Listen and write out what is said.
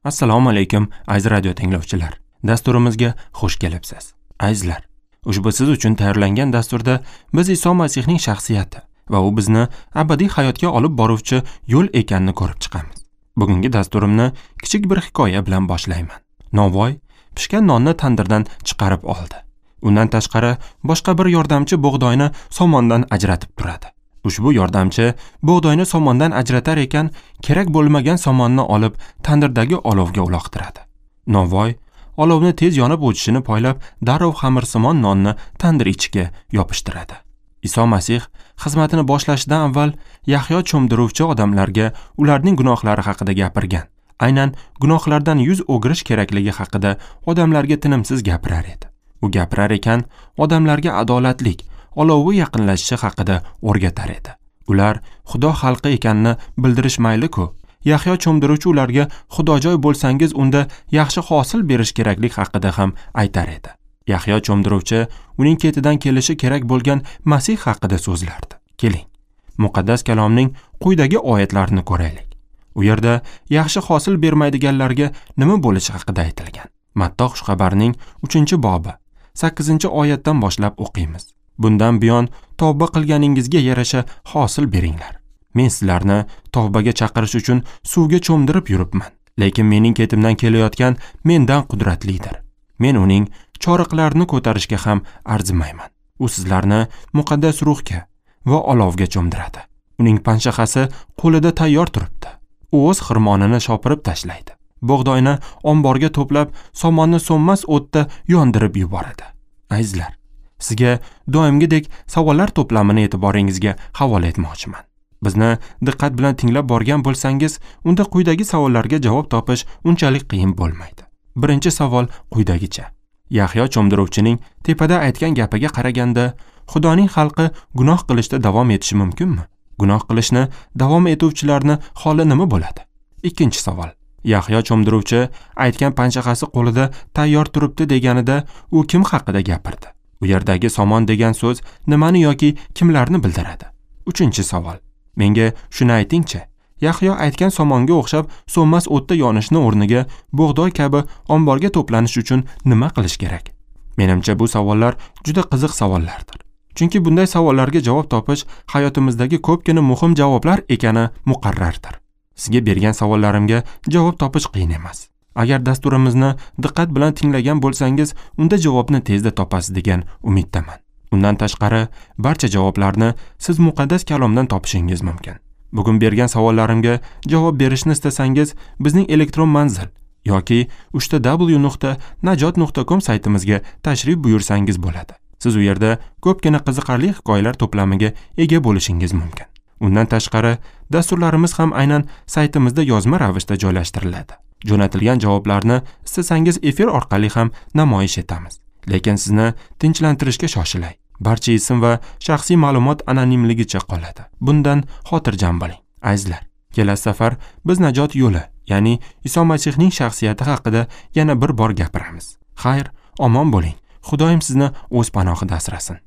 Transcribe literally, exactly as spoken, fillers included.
Assalomu alaykum aziz radio tinglovchilar. Dasturimizga xush kelibsiz. Azizlar, ushbu siz uchun tayyorlangan dasturda biz Iso Masihning shaxsiyati va u bizni abadiy hayotga olib boruvchi yo'l ekanini ko'rib chiqamiz. Bugungi dasturimni kichik bir hikoya bilan boshlayman. Novvoy pishgan nonni tandirdan chiqarib oldi. Undan tashqari boshqa bir yordamchi bug'doyni somondan ajratib turadi. Ushbu yordamchi bug'doyni somondan ajratar ekan, kerak bo'lmagan somonni olib tandirdagi olovga uloqtiradi. Novvoy olovni tez yonib o'chishini poylab, darrov xamirsimon nonni tandir ichiga yopishtiradi. Iso Masih xizmatini boshlashidan avval Yahyo cho'mdiruvchi odamlarga ularning gunohlari haqida gapirgan. Aynan gunohlardan yuz o'girish kerakligi haqida odamlarga tinimsiz gapirar edi. U gapirar ekan, odamlarga adolatlik olovi yaqinlashishi haqida o'rgatar edi. Ular Xudo xalqi ekanini bildirish mayli-ku. Yahyo cho'mdiruvchi ularga xudojoy bo'lsangiz unda yaxshi hosil berish keraklik haqida ham aytar edi. Yahyo cho'mdiruvchi uning ketidan kelishi kerak bo'lgan Masih haqida so'zlardi. Keling, muqaddas kalomning quyidagi oyatlarini ko'raylik. U yerda yaxshi hosil bermaydiganlarga nima bo'lishi haqida aytilgan. Matto xushxabarining uchinchi bobi sakkizinchi oyatdan boshlab o'qiymiz. Bundan buyon tavba qilganingizga yarasha hosil beringlar. Men sizlarni tavbaga chaqirish uchun suvga cho'mdirib yuribman, lekin mening ketimdan kelayotgan mendan qudratlidir. Men uning choriqlarini ko'tarishga ham arzimayman. U sizlarni muqaddas ruhga va olovga cho'mdiradi. Uning panshaxasi qo'lida tayyor turibdi. U o'z xirmonini shopirib tashlaydi. Bug'doyni omborga to'plab, somonni so'nmas o'tda yondirib yuboradi. Azizlar, sizga doimgidek savollar to'plamini e'tiboringizga havola etmoqchiman. Bizni diqqat bilan tinglab borgan bo'lsangiz, unda quyidagi savollarga javob topish unchalik qiyin bo'lmaydi. Birinchi savol quyidagicha. Yahyo cho'mdiruvchining tepada aytgan gapiga qaraganda, Xudoning xalqi gunoh qilishda davom etishi mumkinmi? Gunoh qilishni davom etuvchilarning holi nima bo'ladi? Ikkinchi savol. Yahyo cho'mdiruvchi aytgan panshaxasi qo'lida tayyor turibdi deganida u kim haqida gapirdi? U yerdagi somon degan so'z nimani yoki kimlarni bildiradi? Uchinchi savol. Menga shuni aytingchi, Yahyo aytgan somonga o'xshab so'nmas o'tda yonishni o'rniga bug'doy kabi omborga to'planish uchun nima qilish kerak? Menimcha bu savollar juda qiziq savollardir. Chunki bunday savollarga javob topish hayotimizdagi ko'pgina muhim javoblar ekani muqarrardir. Sizga bergan savollarimga javob topish qiyin emas. Agar dasturimizni diqqat bilan tinglagan bo'lsangiz, unda javobni tezda topasiz degan umiddaman. Undan tashqari, barcha javoblarni siz muqaddas kalomdan topishingiz mumkin. Bugun bergan savollarimga javob berishni istasangiz, bizning elektron manzil yoki uchta w nuqta najot nuqta com saytimizga tashrif buyursangiz bo'ladi. Siz u yerda ko'pgina qiziqarli hikoyalar to'plamiga ega bo'lishingiz mumkin. Undan tashqari, dasturlarimiz ham aynan saytimizda yozma ravishda joylashtiriladi. Jo'natilgan javoblarni istasangiz efir orqali ham namoyish etamiz. Lekin sizni tinchlantirishga shoshilay. Barcha ism va shaxsiy ma'lumot anonimligicha qoladi. Bundan xotirjam bo'ling. Azizlar, kelasi safar biz najot yo'li, ya'ni Iso Masihning shaxsiyati haqida yana bir bor gapiramiz. Xayr, omon bo'ling. Xudoyim sizni o'z panohida asrasin.